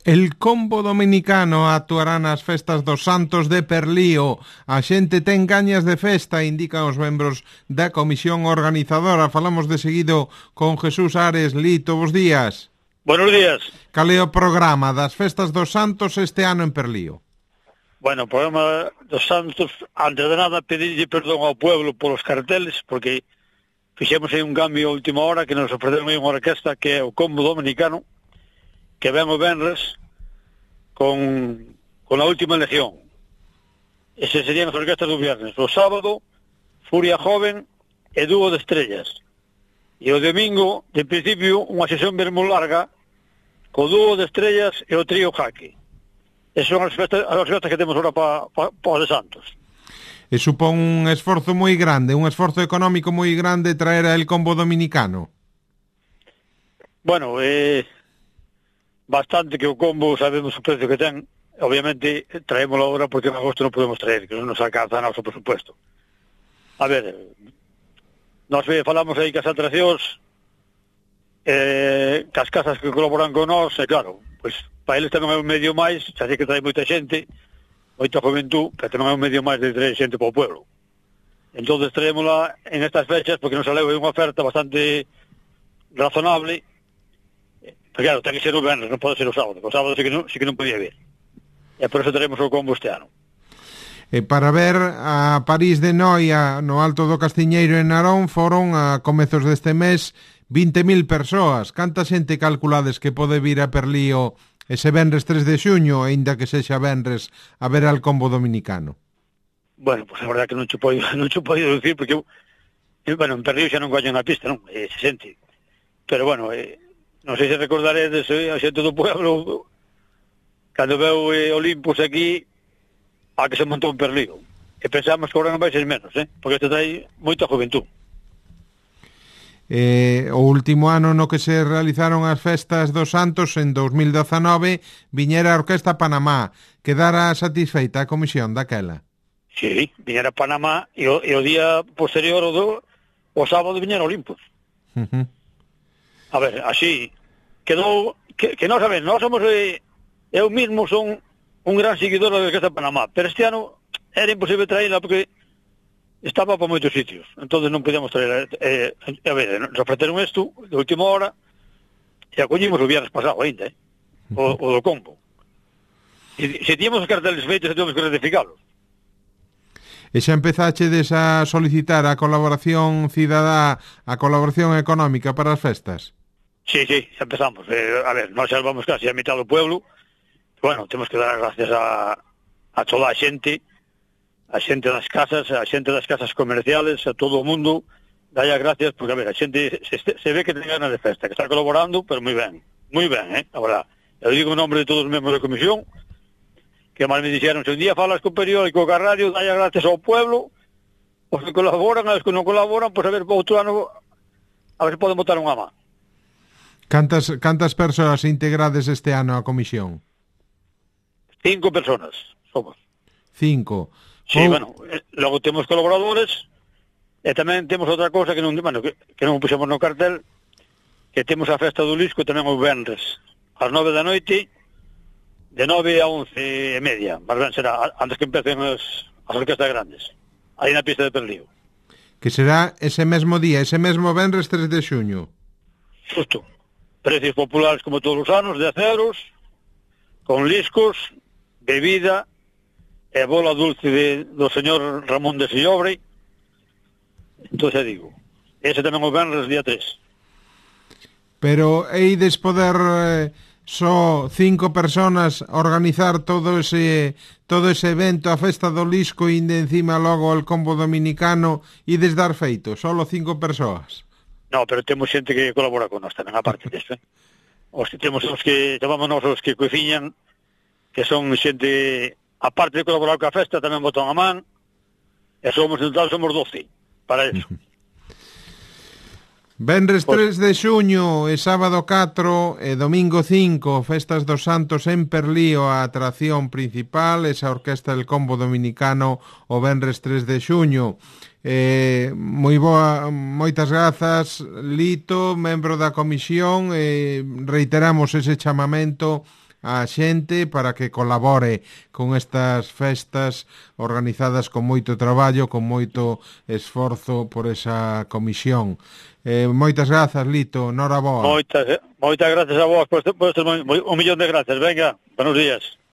El combo dominicano actuará nas festas dos Santos de Perlío. A xente ten gañas de festa, indican os membros da comisión organizadora. Falamos de seguido con Jesús Ares. Lito, bos días. Buenos días. Cal é o programa das festas dos Santos este ano en Perlío? Bueno, o programa dos Santos, antes de nada, pedirlle perdón ao pueblo polos carteles, porque fixemos aí un cambio a última hora, que nos ofreceron aí unha orquesta que é o combo dominicano, que ven o venres con a última legión. Ese serían as orquestas do viernes. O sábado, Furia Joven e Dúo de Estrellas. E o domingo, de principio, unha sesión ben moi larga, co Dúo de Estrellas e o Trío Jaque. Esas son as festas que temos ahora para os de Santos. E supón un esforzo moi grande, un esforzo económico moi grande traer a el combo dominicano. Bueno, bastante, que o combo sabemos o precio que ten. Obviamente traémoslo agora porque en agosto non podemos traer, que non nos alcanza a noso presupuesto. A ver, nós falamos aí que as atraccións, que as casas que colaboran con nós, e claro, pois para eles tamén é un medio máis, xa sei que trae moita xente, moita juventud, pero tamén é un medio máis de traer xente para o pueblo. Entón traémosla en estas fechas porque nos saleu unha oferta bastante razonable. Pero claro, ten que ser o venres, non pode ser o sábado. O sábado sí que non podía vir. E por eso traemos o combo este ano. E para ver a París de Noia no Alto do Castiñeiro en Narón foron a comezos deste mes 20.000 persoas. Canta xente calculades que pode vir a Perlío ese venres 3 de xuño, aínda que sexa venres, a ver al combo dominicano? Bueno, pues a verdade que non che podo dicir, porque bueno, en Perlío xa non coñen a pista, non? Se sente. Pero bueno, non sei se recordaredes a xente do pueblo cando veu Olympus aquí a que se montou en Perlío, e pensamos que agora non vai ser menos, porque este trae moita juventud. O último ano no que se realizaron as festas dos Santos, en 2019, viñera a Orquesta Panamá. Quedara satisfeita a comisión daquela? Sí, viñera a Panamá e o día posterior o sábado viñera Olympus. A ver, así quedou que nós, a ver, nós somos eu mismo son un gran seguidor da Orquesta Panamá, pero este ano era imposible traerla porque estaba para moitos sitios, entonces non podíamos traer. A ver, nos ofreceron isto de última hora e acollimos o viernes pasado ainda, o do combo. E se tíamos os carteles feitos, temos que ratificalos. E xa empezachedes a solicitar a colaboración cidadá, a colaboración económica para as festas? Sí, xa empezamos. A ver, nós xa vamos casi a mitad do pueblo. Bueno, temos que dar gracias a toda a xente das casas, a xente das casas comerciales, a todo o mundo, dalle gracias, porque a ver, a xente se ve que ten ganas de festa, que está colaborando, pero moi ben, a verdad. Eu digo en nombre de todos os membros da comisión, que máis me dixeron, se un día falas co periódico, co radio, dalle gracias ao pueblo, os que colaboran, os que non colaboran, pois a ver, para outro ano, a ver se poden botar unha má. Cantas persoas integrades este ano a comisión? 5 personas somos. 5. Sí, bueno, logo temos colaboradores e tamén temos outra cousa que non puxemos no cartel, que temos a festa do Lisco tamén o venres ás 9 da noite, de 9 a 11:30, mas ben será antes que empecen as orquestas grandes, aí na pista de Perlío. Que será ese mesmo día, ese mesmo venres 3 de xuño. Justo. Precios populares como todos os anos, de aceros, con liscos, bebida e bola dulce do señor Ramón de Sillobre. Entón xa digo, ese tamén o venres día 3. Pero eides poder só 5 personas organizar todo ese evento, a festa do Lisco, e de encima logo el combo dominicano, ides dar feito, solo 5 persoas? No, pero temos xente que colabora con nós tamén, aparte disso, temos os que chamamos nós os que cociñan, que son xente, aparte de colaborar coa festa, tamén botan a man, e somos 12 para eso. Venres 3 de xuño e sábado 4 e domingo 5, festas dos Santos en Perlío, a atracción principal, esa orquesta del combo dominicano o venres 3 de xuño. Moi boa, moitas grazas, Lito, membro da comisión, reiteramos ese chamamento a xente para que colabore con estas festas organizadas con moito traballo, con moito esforzo por esa comisión. Moitas grazas, Lito, noraboa. Moitas gracias a vos, un millón de gracias. Venga, buenos días.